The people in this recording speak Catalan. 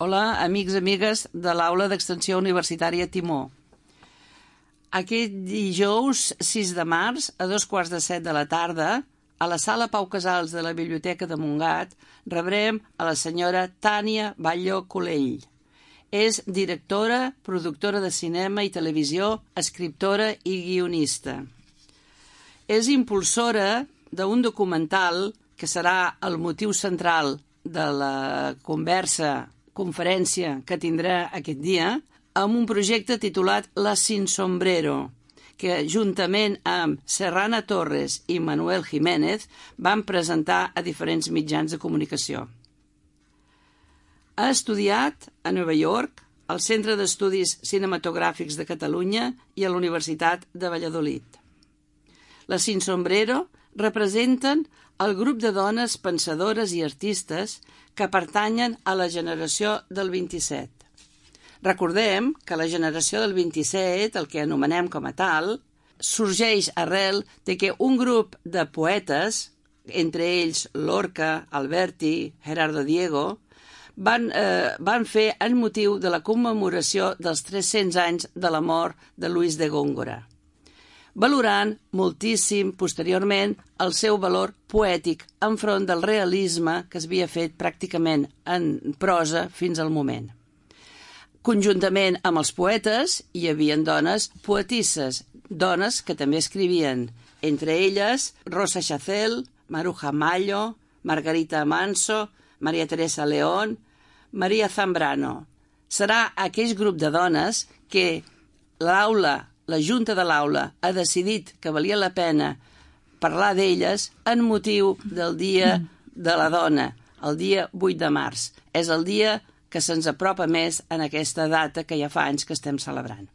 Hola, amics i amigues de l'Aula d'Extensió Universitària Timó. Aquest dijous 6 de març, a 2:15 de la tarda, a la Sala Pau Casals de la Biblioteca de Montgat, rebrem a la senyora Tània Batlló Colell. És directora, productora de cinema i televisió, escriptora i guionista. És impulsora d'un documental que serà el motiu central de la conferència que tindrà aquest dia, amb un projecte titulat La Sin Sombrero, que juntament amb Serrana Torres i Manuel Jiménez van presentar a diferents mitjans de comunicació. Ha estudiat a Nova York, al Centre d'Estudis Cinematogràfics de Catalunya i a la Universitat de Valladolid. La Sin Sombrero representen el grup de dones pensadores i artistes que pertanyen a la generació del 27. Recordem que la generació del 27, el que anomenem com a tal, sorgeix arrel de que un grup de poetes, entre ells Lorca, Alberti, Gerardo Diego, van fer en motiu de la commemoració dels 300 anys de la mort de Luis de Góngora, valorant moltíssim posteriorment el seu valor poètic enfront del realisme que s'havia fet pràcticament en prosa fins al moment. Conjuntament amb els poetes hi havia dones poetisses, dones que també escrivien, entre elles Rosa Chacel, Maruja Mallo, Margarita Manso, Maria Teresa León, Maria Zambrano. Serà aquell grup de dones que la Junta de l'Aula ha decidit que valia la pena parlar d'elles en motiu del Dia de la Dona, el dia 8 de març. És el dia que se'ns apropa més en aquesta data que ja fa anys que estem celebrant.